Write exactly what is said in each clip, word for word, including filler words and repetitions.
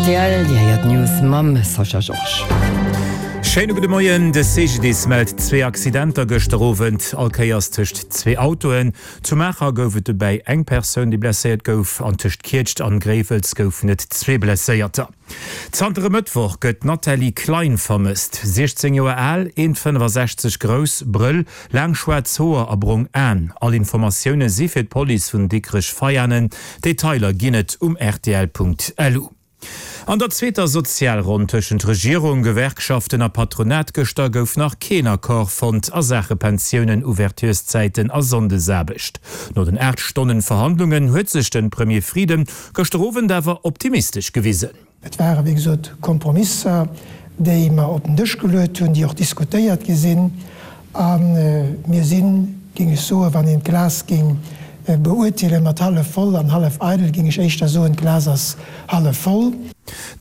Rtl, Dir héiert d'News mam Sascha Georges. Schéine gudde Moien, De C G D I S mellt zwee Accidenter gëschter Owend, all Kéiers tëscht zwee Autoen. Zu Maacher gouf et dobäi eng Persoun, déi blesséiert gouf, an tëscht Kietscht an Gréiwels goufen et zwee Blesséierter. Zanter e Mëttwoch gëtt d'Nathalie Klein vermësst. siechzéng Joer al, eent fënnefasechzeg grouss, Brëll, laang schwaarz Hoer a brong Aen. All Informatioune si fir d'Police vun Dikrech-Veianen. Detailer ginn et um rtl Punkt lu. An der zweeter Sozialronn tëschent Regierung, Gewerkschaften a Patronat gëschter gouf nach keen Accord fonnt a Saache Pensiounen, Ouvertureszäiten a Sonndesaarbecht. No den aacht Stonnen Verhandlungen huet sech de Premier Frieden gëschter Owend awer optimistesch gewisen. Et ware wéi gesot Kompromisser, déi mer op den Dësch geluet hunn, déi och diskutéiert gi sinn. A mir sinn, géing ech soen, wann een d'Glas géing beurteelen mat hallef voll an hallef eidel, géing ech éischter soen, d'Glas ass hallef voll.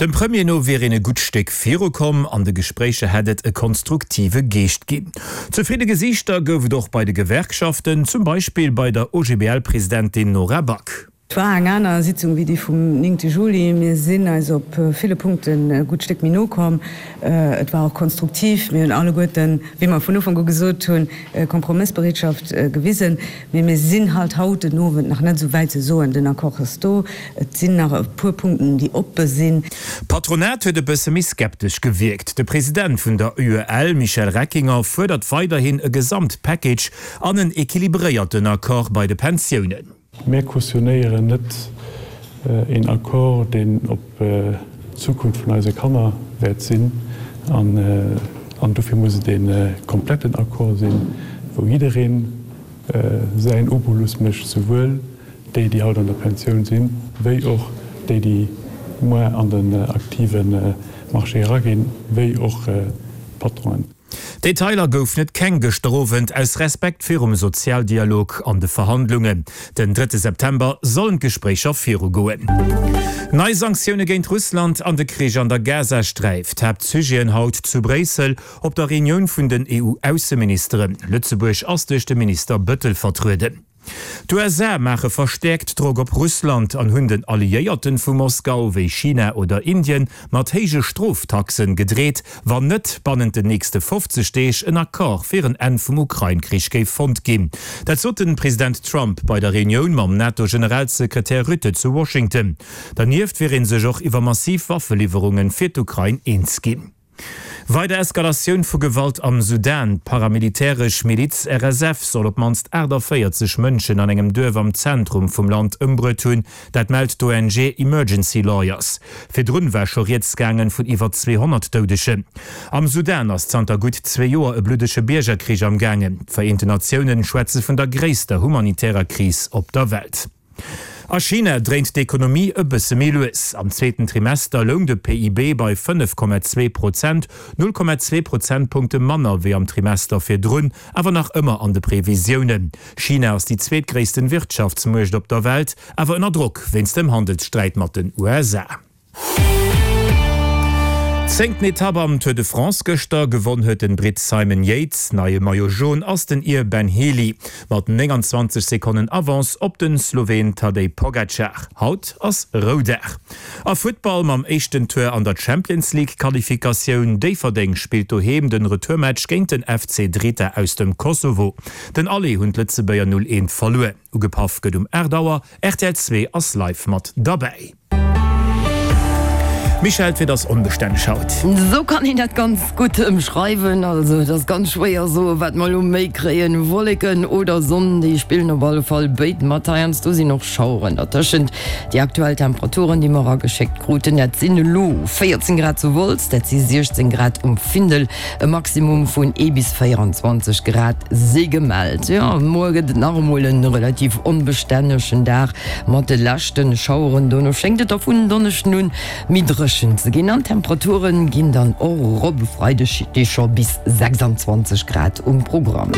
Dem Premier no wier een e gutt Stéck virukomm, an de Gespréicher hätt et e konstruktive Geescht ginn. Zefridde Gesiichter gouf et och bei de Gewerkschaften, zum Beispill bei der O G B L-Presidentin Nora Back. Et war eng aner Sitzung wéi déi vum néngte Juli. Mir sinn eis op ville Punkten e gutt Stéck méi no komm. Et war och konstruktiv. Mir hunn alleguerten, wéi mer vun Ufank u gesot hunn, Kompromëssbereetschaft gewisen. Mee mir sinn halt haut den Owend nach net esou wäit ze soen, den Accord ass do. Et sinn nach e puer Punkten, déi oppe sinn. D'Patronat huet e bësse méi skeptesch gewierkt. De President vun der U E L, Michel Reckinger, fuerdert weiderhin e Gesamtpackage an en equilibréierten Accord bei de Pensiounen. Mir cautionnéieren net een Accord, deen op d'Zukunft vun eise Kanner wäert sinn. An dofir muss et ee kompletten Accord sinn, wou jidderee säin Obolus mécht, souwuel déi, déi haut an der Pensioun sinn, wéi och déi, déi muer an den aktive Marché eraginn, wéi och d'Patronen. Detailer goufen et keng gëschter Owend, aus Respekt virum Sozialdialog an de Verhandlungen. Den drëtte September sollen d'Gespréicher virugoen. Nei Sanktioune géint Russland an de Krich an der Gazasträif, d'Haaptsujeten haut zu Bréissel op der Reunioun vun den E U-Ausseministeren. Lëtzebuerg ass duerch de Minister Bettel vertrueden. D'U S A maache verstäerkt Drock op Russland an hunn den Alliéierten vu Moskau wéi China oder Indien mat héije Stroftaxen gedreet, wann net bannent den nächste fofzeg Deeg en Accord fir en Enn vum Ukrain-Krich géif fonnt ginn. Dat sot den President Trump bei der Reunioun mam NATO-Generalsekretär Rutte zu Washington. Dernieft wier ee sech och iwwer massiv Waffeliwwerunge fir d'Ukrain eens ginn. Weider Eskalatioun vu Gewalt am Sudan, D'paramilitäresch Miliz R S F soll op d'mannst aachtavéierzeg Mënschen an engem Duerf am Zentrum vum Land ëmbruet hunn, dat mellt d'O N G Emergency Lawyers. Virdrun war scho rieds gaangen vun iwwer zweehonnert Doudegen. Am Sudan ass zanter gutt zwee Joer e bluddege Biergerkrich am gaangen. D'Vereenten Natioune schwätze vun der gréisster humanitärer Kris op der Welt. A China dréint d'Ekonomie e bësse méi lues. Am zweeten Trimester loung de P I B bei fënnef Komma zwee Prozent, null Komma zwee Prozentpunkte manner wéi am Trimester virdrun, awer nach ëmmer an de Previsiounen. China ass déi zweetgréissten Wirtschaftsmuecht op der Welt, awer ënner Drock wéinst dem Handelssträit mat den U S A. Zéngten Etapp am Tour de France gëschter, gewonn huet den Britt Simon Yates. Neie Maillot Jaune ass den Ir Ben Healy mat nénganzwanzeg Sekonnen Avance op den Sloween Tadej Pogacar. Haut ass Roudag. A Futtball mam éischten Tour an der Champions League Qualifikatioun, Déifferdeng spillt doheem den Retourmatch géint den F C Drita aus dem Kosovo. Den Aller hunn d'Lëtzebuerger null eent verluer. Ugepaff gëtt um aacht Auer, R T L zwee ass live mat derbäi. Michèle, d'Wieder ass onbestänneg haut. Esou kann een dat ganz gutt ëmschreiwen. Also et ass ganz schwéier soe wat mer elo méi kréien, Wolleken oder Sonn, déi spillen op alle Fall béid mat. Heiansdo sinn och Schaueren dertëschent. Déi aktuell Temperaturen, déi mer erageschéckt kruten, dat sinn elo véierzéng Grad zu Wolz, dat si siechzéng Grad um Findel, e Maximum vun ee bis véierenzwanzeg Grad si gemellt. Jo, muer gëtt et nach emol e relativ onbestännegen Dag mat de leschte Schaueren. Dono schéngt et da vun Donneschden un méi dréchen ze ginn an d'Temperature ginn dann och erop. E Freideg sti scho bis sechsanzwanzeg Grad um Programm.